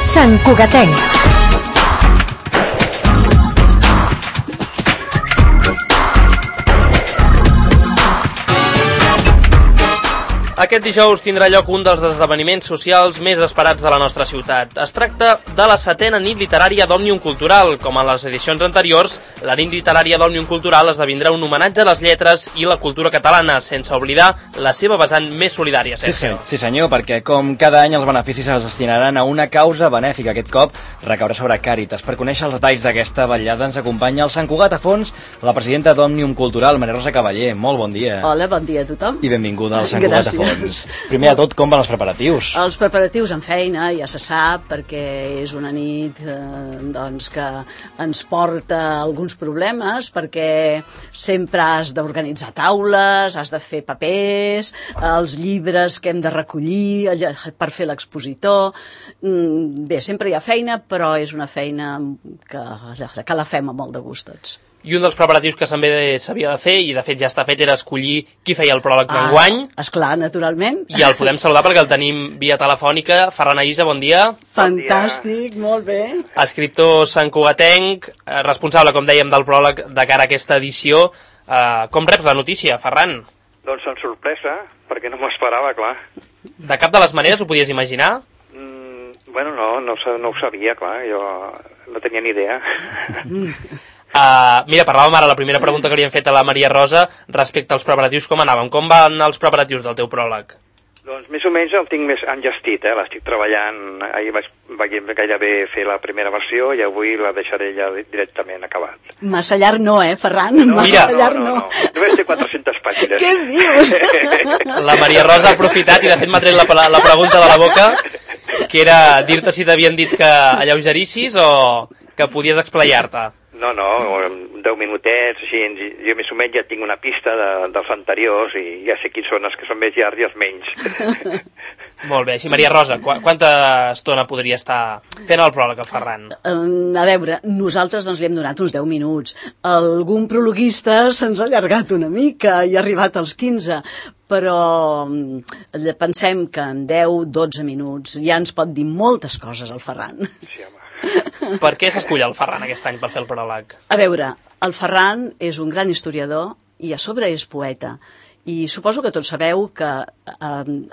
Sant Cugatenc. Aquest dijous tindrà lloc un dels esdeveniments socials més esperats de la nostra ciutat. Es tracta de la 7a nit literària d'Òmnium Cultural. Com en les edicions anteriors, la nit literària d'Òmnium Cultural esdevindrà un homenatge a les lletres i la cultura catalana, sense oblidar la seva vessant més solidària. Sí senyor, perquè com cada any els beneficis es destinaran a una causa benèfica. Aquest cop recaurà sobre Càritas. Per conèixer els detalls d'aquesta vetllada ens acompanya el Sant Cugat a fons, la presidenta d'Òmnium Cultural, Maria Rosa Cavaller. Molt bon dia. Hola, bon dia a tothom. I benvinguda al Sant Cugat a fons. Primer de tot, com van els preparatius? Els preparatius en feina, ja se sap, perquè és una nit que ens porta alguns problemes, perquè sempre has d'organitzar taules, has de fer papers, els llibres que hem de recollir per fer l'expositor. Bé, sempre hi ha feina, però és una feina que la fem amb molt de gust tots. I un dels preparatius que també s'havia de fer, i de fet ja està fet, era escollir qui feia el pròleg d'enguany. Esclar, naturalment. I el podem saludar perquè el tenim via telefònica. Ferran Aïssa, bon dia. Fantàstic, molt bé. Escriptor santcugatenc, responsable, com dèiem, del pròleg de cara a aquesta edició. Com reps la notícia, Ferran? Doncs amb sorpresa, perquè no m'esperava, clar. De cap de les maneres ho podies imaginar? Bueno, no ho sabia, clar, jo no tenia ni idea. Mira, parlàvem ara, la primera pregunta que li hem fet a la Maria Rosa respecte als preparatius, com anaven? Com van els preparatius del teu pròleg? Doncs més o menys el tinc més engestit, l'estic treballant. Ahir vaig gairebé fer la primera versió i avui la deixaré ja directament acabat. Massa llarg no, Ferran? No, només té 400 pàgines. Què dius? La Maria Rosa ha aprofitat i de fet m'ha tret la pregunta de la boca, que era dir-te si t'havien dit que alleugerissis o que podies explayar-te. No, 10 minutets, així, jo més o menys ja tinc una pista dels anteriors i ja sé quins són els que són més llargs i els menys. Molt bé, així Maria Rosa, quanta estona podria estar fent el pròleg, el Ferran? A veure, nosaltres li hem donat uns 10 minuts. Algun prologuista se'ns ha allargat una mica i ha arribat als 15, però pensem que en 10-12 minuts ja ens pot dir moltes coses el Ferran. Sí, home. Per què s'escull el Ferran aquest any per fer el pròleg? A veure, el Ferran és un gran historiador i a sobre és poeta. I suposo que tots sabeu que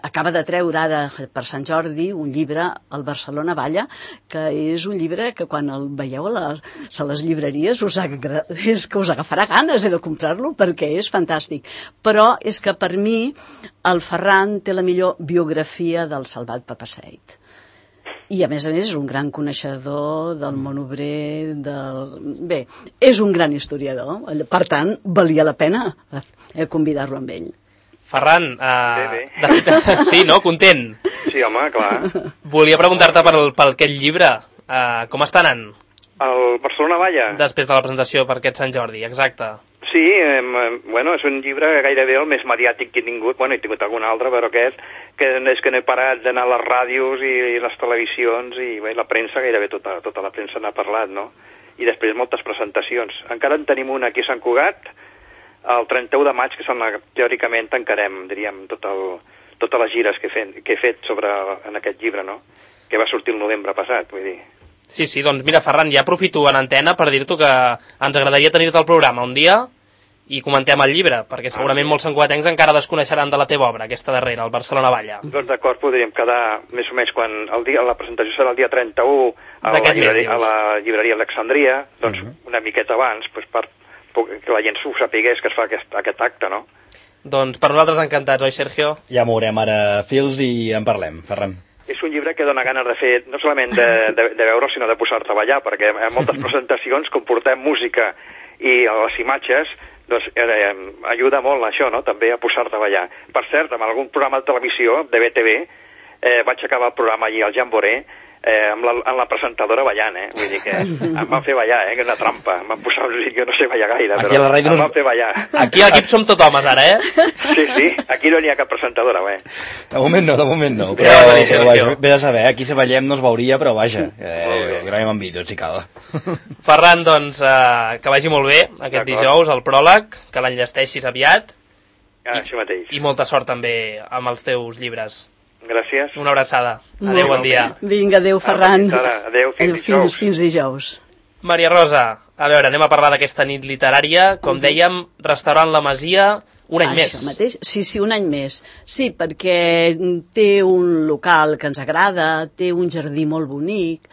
acaba de treure ara per Sant Jordi un llibre, el Barcelona Balla, que és un llibre que quan el veieu a les llibreries és que us agafarà ganes de comprar-lo perquè és fantàstic. Però és que per mi el Ferran té la millor biografia del Salvat Papasseit. I a més és un gran coneixedor del món obrer, Bé, és un gran historiador, per tant, valia la pena convidar-lo amb ell. Ferran, sí, no? Content? Sí, home, clar. Volia preguntar-te per aquest llibre, com està anant? El Barcelona Balla? Després de la presentació per aquest Sant Jordi, exacte. Sí, és un llibre gairebé el més mediàtic que he tingut, he tingut algun altre, però aquest, que és que no he parat d'anar a les ràdios i les televisions i la premsa, gairebé tota la premsa n'ha parlat, no? I després moltes presentacions. Encara en tenim una aquí a Sant Cugat, el 31 de maig, que teòricament tancarem, diríem, totes les gires que he fet en aquest llibre, no? Que va sortir el novembre passat, vull dir. Sí, doncs mira, Ferran, ja aprofito en antena per dir-t'ho que ens agradaria tenir-te al programa un dia i comentem el llibre, perquè segurament molts santcugatencs encara desconeixeran de la teva obra, aquesta darrera, el Barcelona Balla. Doncs d'acord, podríem quedar més o menys quan la presentació serà el dia 31 a la llibreria Alexandria, doncs una miqueta abans, que la gent s'ho sapigués que es fa aquest acte, no? Doncs per nosaltres encantats, oi, Sergio? Ja mourem ara fils i en parlem, Ferran. És un llibre que dona ganes de fer, no solament de veure, sinó de posar a treballar, perquè en moltes presentacions, com portem música i les imatges, doncs ajuda molt això, no?, també a posar a treballar. Per cert, en algun programa de televisió, de BTV, vaig acabar el programa allí al Jamboree, amb la presentadora ballant, vull dir que em van fer ballar, que és una trampa, em van posar un jo no sé ballar gaire, però em van fer ballar. Aquí a l'equip som tot homes ara, Sí, aquí no n'hi ha cap presentadora, De moment no, però bé a saber, aquí si ballem no es veuria, però vaja, gravem en vídeo, si cal. Ferran, doncs, que vagi molt bé aquest dijous, el pròleg, que l'enllesteixis aviat, Això mateix. i molta sort també amb els teus llibres. Gràcies. Una abraçada. Adéu, bon dia. Vinga, adéu, Ferran. Adéu, fins dijous. Fins dijous. Maria Rosa, a veure, anem a parlar d'aquesta nit literària. Com dèiem, restaurant La Masia, un any més. Això mateix? Sí, un any més. Sí, perquè té un local que ens agrada, té un jardí molt bonic.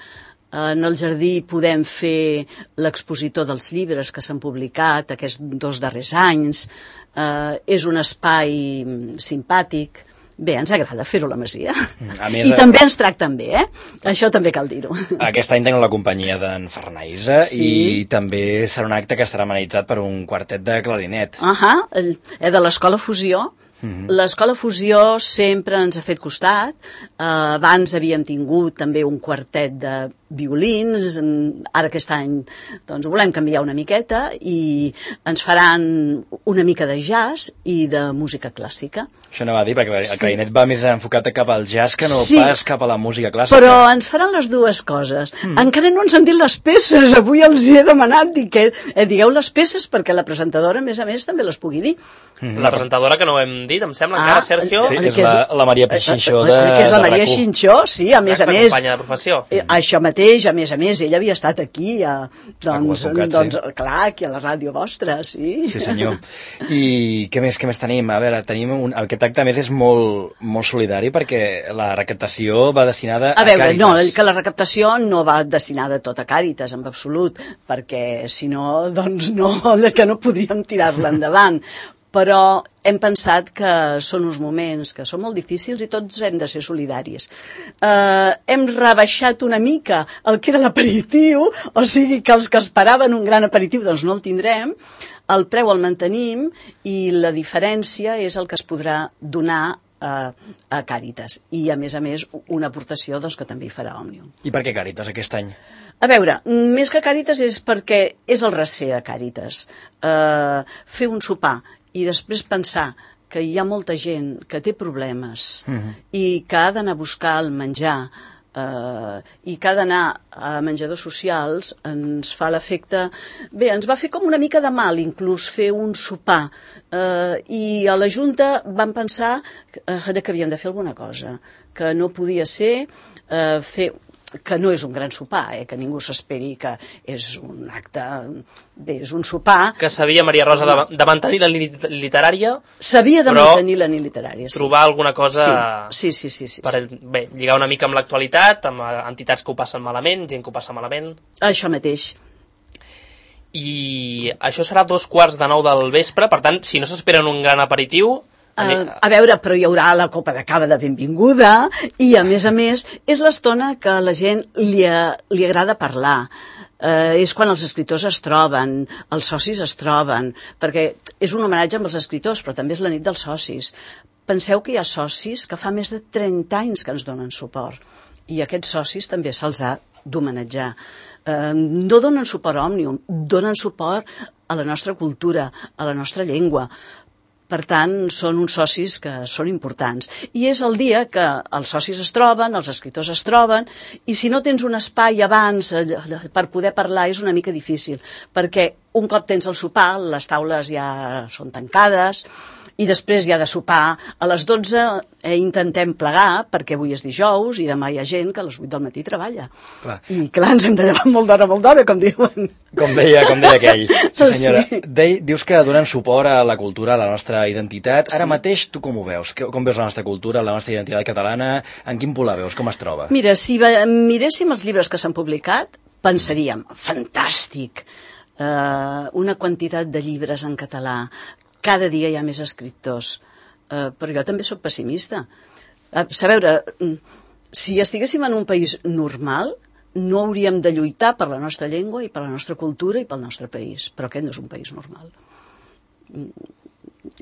En el jardí podem fer l'expositor dels llibres que s'han publicat aquests 2 darrers anys. És un espai simpàtic. Bé, ens agrada fer-ho a la Masia. I també ens tracten bé, Això també cal dir-ho. Aquest any tenen la companyia d'en Farnaïsa i també serà un acte que estarà amenitzat per un quartet de clarinet. De l'Escola Fusió. L'Escola Fusió sempre ens ha fet costat. Abans havíem tingut també un quartet de violins. Ara aquest any doncs, volem canviar una miqueta i ens faran una mica de jazz i de música clàssica. Això no va dir, perquè el clarinet va més enfocat cap al jazz que no pas cap a la música clàssica. Però ens faran les dues coses. Encara no ens han dit les peces. Avui els he demanat que digueu les peces perquè la presentadora, a més, també les pugui dir. La presentadora que no ho hem dit, em sembla encara, Sergio. Sí, és la Maria Xinxó de que és la Maria Xinxó, sí, a més. Companya de professió. Això mateix, a més, ella havia estat aquí, doncs, clar, aquí a la ràdio vostra, sí. Sí, senyor. I què més tenim? A veure, aquest acte, a més, és molt solidari perquè la recaptació va destinada a Càritas. A veure, no, que la recaptació no va destinada tot a Càritas, en absolut, perquè si no, doncs que no podríem tirar-la endavant. Però hem pensat que són uns moments que són molt difícils i tots hem de ser solidaris. Hem rebaixat una mica el que era l'aperitiu, o sigui que els que esperaven un gran aperitiu doncs no el tindrem, el preu el mantenim i la diferència és el que es podrà donar a Càritas. I, a més, una aportació doncs, que també hi farà Òmnium. I per què Càritas aquest any? A veure, més que Càritas és perquè és el recer a Càritas. Fer un sopar i després pensar que hi ha molta gent que té problemes i que ha d'anar a buscar el menjar i que ha d'anar a menjadors socials ens fa l'efecte... Bé, ens va fer com una mica de mal inclús fer un sopar i a la Junta vam pensar que havíem de fer alguna cosa, que no podia ser fer... que no és un gran sopar, que ningú s'esperi que és un acte... Bé, és un sopar... Que sabia, Maria Rosa, de mantenir la línia literària... Sabia de mantenir la línia literària, sí. Trobar alguna cosa... Sí. Per, bé, lligar una mica amb l'actualitat, amb entitats que ho passen malament, gent que ho passa malament... Això mateix. I això serà 8:45 del vespre, per tant, si no s'esperen un gran aperitiu... A veure, però hi haurà la copa de cava de benvinguda i, a més, és l'estona que a la gent li agrada parlar. És quan els escriptors es troben, els socis es troben, perquè és un homenatge amb els escriptors, però també és la nit dels socis. Penseu que hi ha socis que fa més de 30 anys que ens donen suport i aquests socis també se'ls ha d'homenatjar. No donen suport a Òmnium, donen suport a la nostra cultura, a la nostra llengua. Per tant, són uns socis que són importants. I és el dia que els socis es troben, els escriptors es troben, i si no tens un espai abans per poder parlar és una mica difícil, perquè un cop tens el sopar, les taules ja són tancades, i després hi ha de sopar a les 12, intentem plegar, perquè avui és dijous i demà hi ha gent que a les 8 del matí treballa. Clar. I clar, ens hem de llevar molt d'hora, com diuen. Com deia aquell. Sí, senyora. Sí. Dius que donen suport a la cultura, a la nostra identitat. Ara mateix, tu com ho veus? Com veus la nostra cultura, la nostra identitat catalana? En quin punt la veus? Com es troba? Mira, si miréssim els llibres que s'han publicat, pensaríem, fantàstic, una quantitat de llibres en català, cada dia hi ha més escriptors, però jo també sóc pessimista. A veure, si estiguéssim en un país normal, no hauríem de lluitar per la nostra llengua i per la nostra cultura i pel nostre país, però aquest no és un país normal.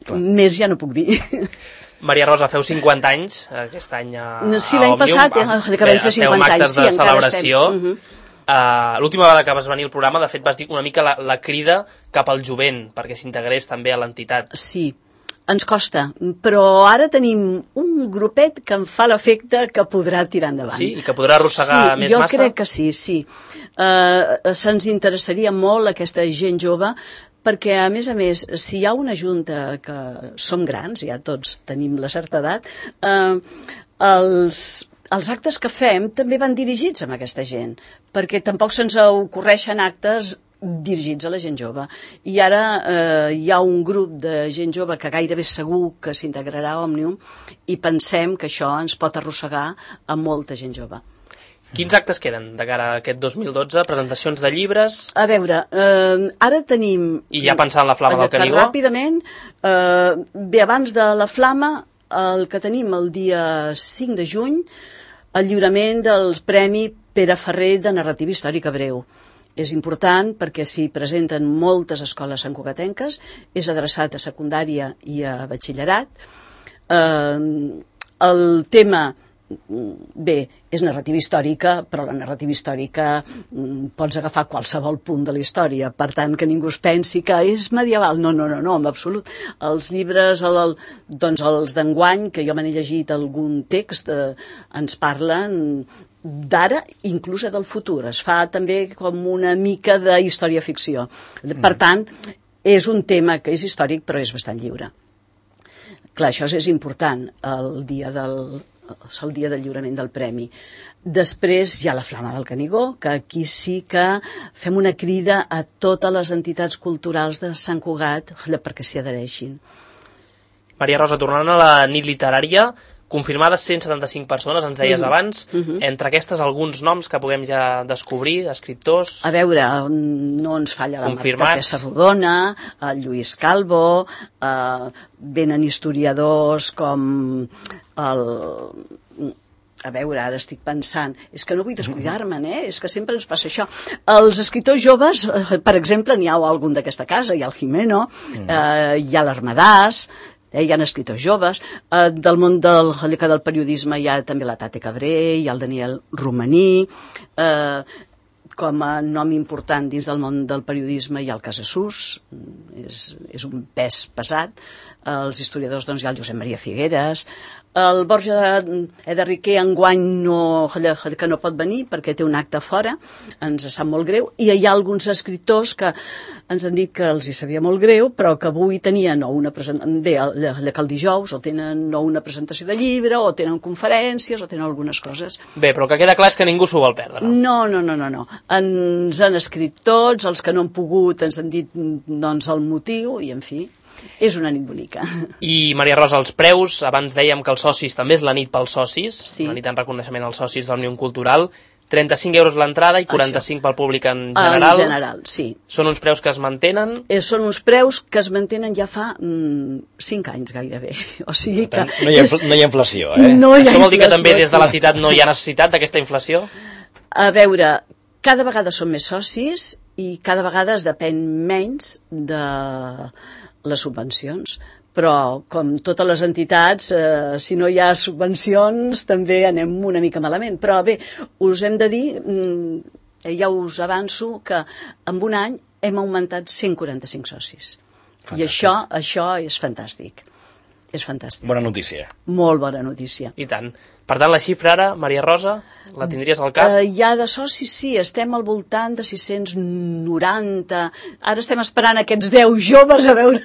Clar. Més ja no puc dir. Maria Rosa, feu 50 anys aquest any a Òmnium. Sí, l'any passat acabem de fer 50 anys. Sí, encara estem. L'última vegada que vas venir al programa, de fet, vas dir una mica la crida cap al jovent, perquè s'integrés també a l'entitat. Sí, ens costa, però ara tenim un grupet que em fa l'efecte que podrà tirar endavant. Sí, i que podrà arrossegar més massa? Sí, jo crec que sí. Se'ns interessaria molt aquesta gent jove, perquè, a més, si hi ha una junta que som grans, ja tots tenim la certa edat, els actes que fem també van dirigits a aquesta gent, perquè tampoc se'ns ocorreixen actes dirigits a la gent jove. I ara hi ha un grup de gent jove que gairebé segur que s'integrarà a Òmnium i pensem que això ens pot arrossegar a molta gent jove. Quins actes queden de cara a aquest 2012? Presentacions de llibres? A veure, ara tenim... I ja pensant en la Flama del Canigó? Ràpidament, bé, abans de la Flama, el que tenim el dia 5 de juny, el lliurament del Premi Pere Ferrer de Narrativa Històrica Breu. És important perquè s'hi presenten moltes escoles santcugatenques, és adreçat a secundària i a batxillerat. El tema... Bé, és narrativa històrica, però la narrativa històrica pots agafar qualsevol punt de la història, per tant que ningú es pensi que és medieval. No, en absolut. Els llibres, doncs els d'enguany, que jo me n'he llegit algun text, ens parlen d'ara, inclús del futur. Es fa també com una mica de història-ficció. Per tant, és un tema que és històric, però és bastant lliure. Clar, això és important, el dia del lliurament del premi. Després hi ha la Flama del Canigó, que aquí sí que fem una crida a totes les entitats culturals de Sant Cugat perquè s'hi adhereixin. Maria Rosa, tornant a la nit literària, confirmades 175 persones, ens deies abans. Entre aquestes, alguns noms que puguem ja descobrir, escriptors... A veure, no ens falla la Marta Pessarrodona, el Lluís Calvo, venen historiadors com el... A veure, ara estic pensant, és que no vull descuidar-me'n, és que sempre ens passa això. Els escriptors joves, per exemple, n'hi ha algun d'aquesta casa, hi ha el Jimeno, hi ha l'Armadàs, hi ha escriptors joves, del món del periodisme hi ha també la Tate Cabré, hi ha el Daniel Romaní, com a nom important dins del món del periodisme hi ha el Casassús, és un pes pesat, els historiadors doncs hi ha el Josep Maria Figueres, el Borja Ederriquer enguany que no pot venir perquè té un acte fora, ens sap molt greu, i hi ha alguns escriptors que ens han dit que els hi sabia molt greu, però que avui tenien una presentació, bé, que el dijous o tenen una presentació de llibre, o tenen conferències, o tenen algunes coses. Bé, però el que queda clar és que ningú s'ho vol perdre. No. Ens han escrit tots, els que no han pogut ens han dit doncs el motiu, i en fi... És una nit bonica. I, Maria Rosa, els preus, abans dèiem que els socis també és la nit pels socis, sí. Una nit en reconeixement als socis d'Òmnium Cultural, 35 euros l'entrada i 45 pel públic en general. En general, sí. Són uns preus que es mantenen? Són uns preus que es mantenen ja fa 5 anys gairebé. O sigui que... No hi ha inflació, No hi ha Això vol dir que també des de l'entitat no hi ha necessitat d'aquesta inflació? A veure, cada vegada són més socis i cada vegada es depèn menys de les subvencions, però com totes les entitats, si no hi ha subvencions també anem una mica malament, però bé, us hem de dir, ja us avanço que en un any hem augmentat 145 socis. Fantàstic. I això és fantàstic. És fantàstic. Bona notícia. Molt bona notícia. I tant. Per tant, la xifra ara, Maria Rosa, la tindries al cap? Ja de socis, sí, estem al voltant de 690. Ara estem esperant aquests 10 joves a veure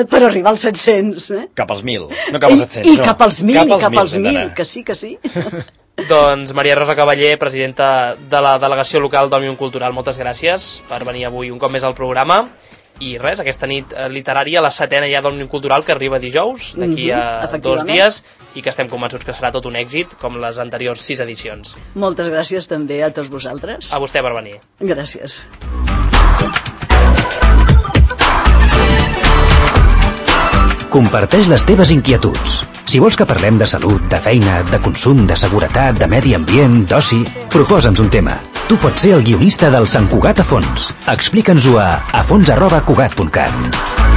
per arribar als 700. Cap als 1.000, no cap als 700. I cap als 1.000, i cap als 1.000, que sí. Doncs Maria Rosa Cavaller, presidenta de la delegació local d'Òmnium Cultural, moltes gràcies per venir avui un cop més al programa. I res, aquesta nit literària, la 7ª ja d'Òmnium Cultural, que arriba dijous, d'aquí a 2 dies, i que estem convençuts que serà tot un èxit, com les anteriors 6 edicions. Moltes gràcies també a tots vosaltres. A vostè per venir. Gràcies. Comparteix les teves inquietuds. Si vols que parlem de salut, de feina, de consum, de seguretat, de medi ambient, d'oci, proposa'ns un tema. Tu pots ser el guionista del Sant Cugat a fons. Explica'ns-ho a fons@cugat.cat.